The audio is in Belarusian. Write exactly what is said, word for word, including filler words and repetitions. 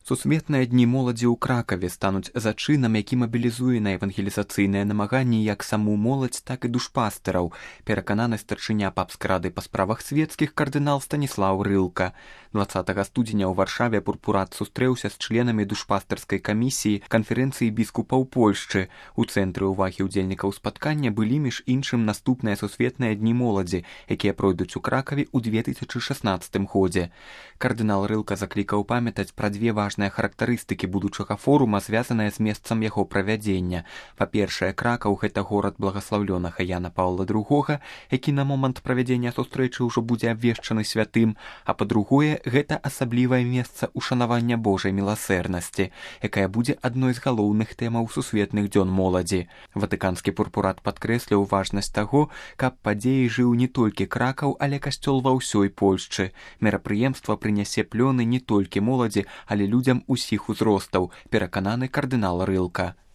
Сусветныя дні моладзі ў Кракаве стануць зачынам, які мабілізуе на евангелізацыйныя намаганні як саму моладзь, так і душпастыраў, перакананы старшыня папскай рады па справах свецкіх кардынал Станіслаў Рылка. дваццатага студзеня ў Варшаве пурпурат сустрэўся з членамі душпастырскай камісіі канферэнцыі біскупаў Польшчы. У цэнтры ўвагі ўдзельнікаў спаткання былі між іншым наступныя сусветныя дні моладзі, якія пройдуць у Кракаве ў две тысячы шаснаццатым годзе. Кардынал Рылка заклікаў памятаць пра дзве важныя характарыстыкі будучага форума, звязаныя з месцам яго правядзення. Па-першае, Кракаў — гэта горад благаслаўлёнага Яна Паўла другога, які на момант правядзення сустрэчы ўжо будзе абвешчаны святым, а па-другое, гэта асаблівае месца ушанавання Божай міласэрнасці, якая будзе адной з галоўных тэмаў сусветных дзён моладзі. Ватыканскі пурпурат падкрэсліў важнасць таго, каб падзеі жыў не толькі Кракаў, але касцёл ва ўсёй Польшчы. Мерапрыемства прынясе плёны не толькі моладзі, але людзям усіх узростаў, перакананы кардынал Рылка.